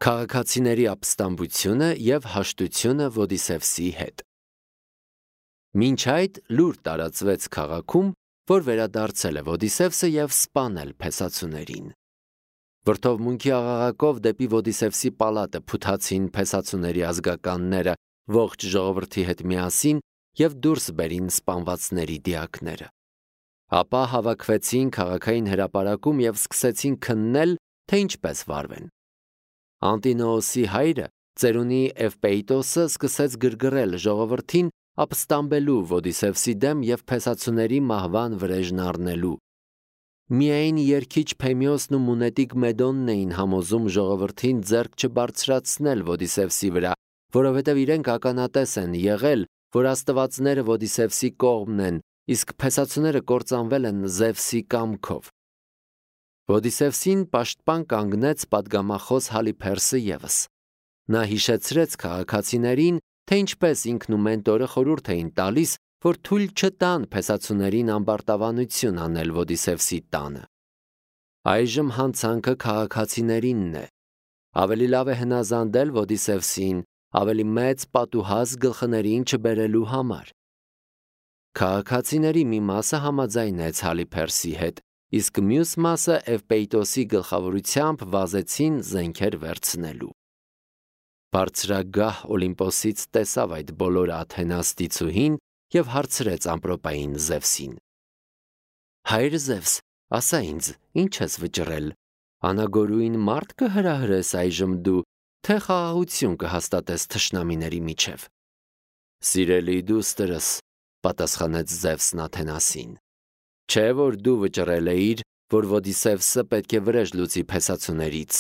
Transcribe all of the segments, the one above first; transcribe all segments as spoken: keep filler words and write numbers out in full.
Քաղաքացիների ապստամբությունը և հաշտությունը Ոդիսևսի հետ։ Մինչ այդ լուր տարածվեց քաղաքում, որ վերադարձել է Ոդիսևսը և սպանել փեսացուներին։ Վրդովմունքի աղաղակով դեպի Ոդիսևսի պալատը փութացին փեսացուների ազգականները ողջ ժողովրդի հետ միասին և դուրս բերին սպանվածների դիակները։ Ապա հավաքվեցին քաղաքային հրապարակում և սկսեցին քննել, թե ինչպես վարվեն։ Անտինոոսի հայրը, ծերունի Էվպեիտոսը, սկսեց գրգռել ժողովրդին ապստամբելու Ոդիսևսի դեմ և փեսացուների մահվան վրեժն առնելու։ Միայն երգիչ Փեմիոսն ու մունետիկ Մեդոնն էին համոզում ժողովրդին ձեռք չբարձրացնել Ոդիսևսի վրա, որովհետև իրենք ականատես են եղել, որ աստվածները Ոդիսևսի կողմն են, իսկ փեսացուները կործանվել են Զևսի կամքով։ Ոդիսևսին պաշտպան կանգնեց պատգամախոս Հալիփերսը ևս։ Նա հիշեցրեց քաղաքացիներին, թե ինչպես ինքն ու մենտորը խորհուրդ էին տալիս, որ թույլ չտան փեսացուներին ամբարտավանություն անել Ոդիսևսի տանը։ Այժմ հանցանքը քաղաքացիներինն է։ Ավելի լավ է հնազանդել Ոդիսևսին, ավելի մեծ պատուհաս գլխներին չբերելու համար։ Քաղաքացիների մի մասը համաձայնեց Հալիփերսի հետ, իսկ մյուս մասը Էվպեիտոսի գլխավորությամբ վազեցին զենքեր վերցնելու։ Բարձրագահ Օլիմպոսից տեսավ այդ բոլորը Աթենաս դիցուհին և հարցրեց ամպրոպային Զևսին. Հայր Զևս, ասա ինձ, ինչ ես վճռել, անագորույն մարդ կհրահրես այժմ դու, թե խաղաղություն կհաստատես թշնամիների միջև։ Սիրելի դուստրս, պատասխանեց Զևսն Աթենասին, չէ որ դու վճռել էիր, որ Ոդիսևսը պետք է վրեժ լուծի փեսացուներից։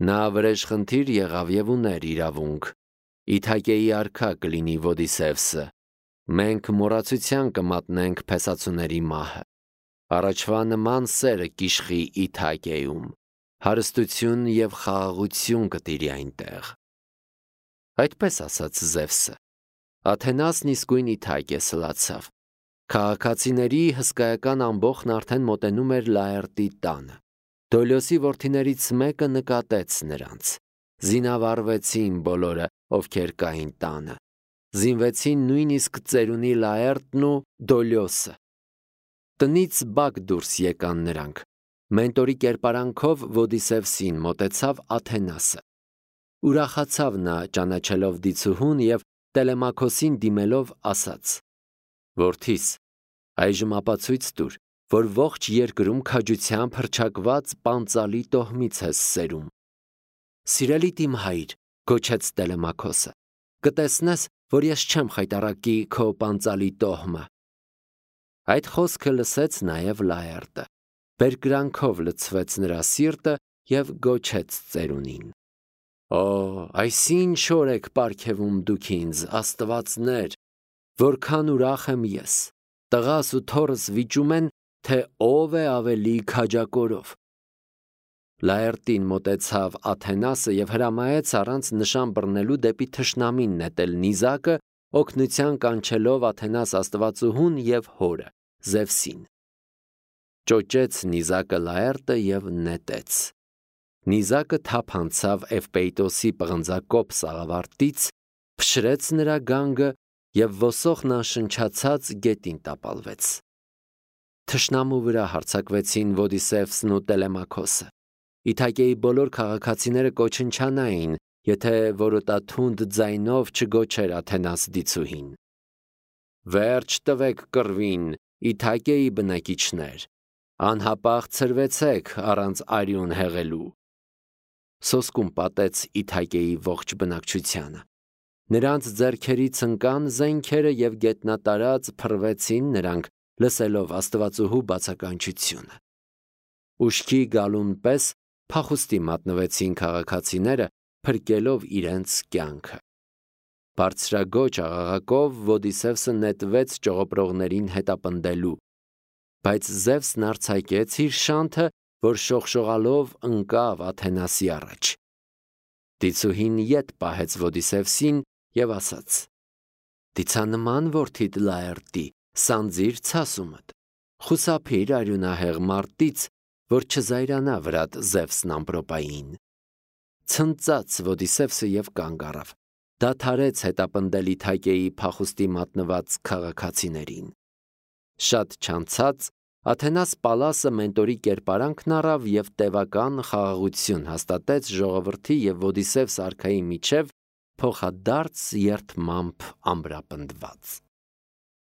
Նա վրեժխնդիր եղավ և ուներ իրավունք։ Իթակեի արքա կլինի Ոդիսևսը։ Մենք մոռացության կմատնենք փեսացուների մահը։ Առաջվա նման սերը կիշխի Իթակեում, հարստություն և խաղաղություն կտիրի այնտեղ։ Այդպես ասաց Զևսը։ Աթենասն իսկույն Իթակե սլացավ։ Քաղաքացիների հսկայական ամբոխն արդեն մոտենում էր Լաերտի տանը։ Դոլիոսի որդիներից մեկը նկատեց նրանց։ Զինավառվեցին բոլորը, ովքեր կային տանը։ Զինվեցին նույնիսկ ծերունի Լաերտն ու Դոլիոսը։ Տնից բակ դուրս եկան նրանք։ Մենտորի կերպարանքով Ոդիսևսին մոտեցավ Աթենասը։ Ուրախացավ նա ճանաչելով դիցուհուն և Տելեմաքոսին դիմելով ասաց. Որդիս, այժմ ապացույց տուր, որ ողջ երկրում քաջությամբ հռչակված պանծալի տոհմից ես սերում։ Սիրելի իմ հայր, գոչեց Տելեմաքոսը, կտեսնես, որ ես չեմ խայտառակի քո պանծալի տոհմը։ Այդ խոսքը լսեց նաև Լաերտը։ Բերկրանքով լցվեց նրա սիրտը և գոչեց ծերունին. Օ, այսինչ օր եք պարգևում դուք ինձ, աստվածներ, որքան ուրախ եմ ես։ Տղաս ու թոռս վիճում են, թե ով է ավելի քաջակորով։ Լաերտին մոտեցավ Աթենասը և հրամայեց առանց նշան բռնելու դեպի թշնամին նետել նիզակը, օգնության կանչելով Աթենաս աստվածուհուն և հորը, Զևսին։ Ճոճեց նիզակը Լաերտը և նետեց։ Նիզակը թափ անցավ Էվպեիտոսի պղնձակոպ սաղավարտից, փշրեց նրա գանգը և ոսոխն անշնչացած գետին տապալվեց։ Թշնամու վրա հարձակվեցին Ոդիսևսն ու Տելեմաքոսը։ Իթակեի բոլոր քաղաքացիները կոչնչանային, եթե որոտաթունդ ձայնով չգոչեր Աթենաս դիցուհին։ Վերջ տվեք կռվին, Իթակեի բնակիչներ, անհապաղ ցրվեցեք առանց արյուն հեղելու։ Սոսկում պատեց Իթակեի ողջ բնակչությանը։ Նրանց ձեռքերից ընկան զենքերը և գետնատարած փռվեցին նրանք, լսելով աստվածուհու բացականչությունը։ Ուշքի գալուն պես փախուստի մատնվեցին քաղաքացիները, փրկելով իրենց կյանքը։ Բարձրագոչ աղաղակով Ոդիսևսը նետվեց ճողոպրողներին հետապնդելու, բայց Զևսն արձակեց իր շանթը, որ շողշողալով ընկավ Աթենասի առաջ։ Դիցուհին ետ պահեց Ոդիսևսին և ասաց. Դիցանման որդիդ Լաերտի, սանձիր ցասումդ, խուսափիր արյունահեղ մարտից, որ չզայրանա վրատ Զևսն ամպրոպային։ ցնծաց Ոդիսևսը եւ կանգ առավ։ Դադարեց հետապնդել Իթակեի փախուստի մատնված քաղաքացիներին։ Շատ չանցած Աթենաս Պալասը մենտորի կերպարանքն առավ եւ տևական խաղաղություն հաստատեց ժողովրդի եւ Ոդիսևս արքայի միջև փոխադարձ երդմամբ ամրապնդված։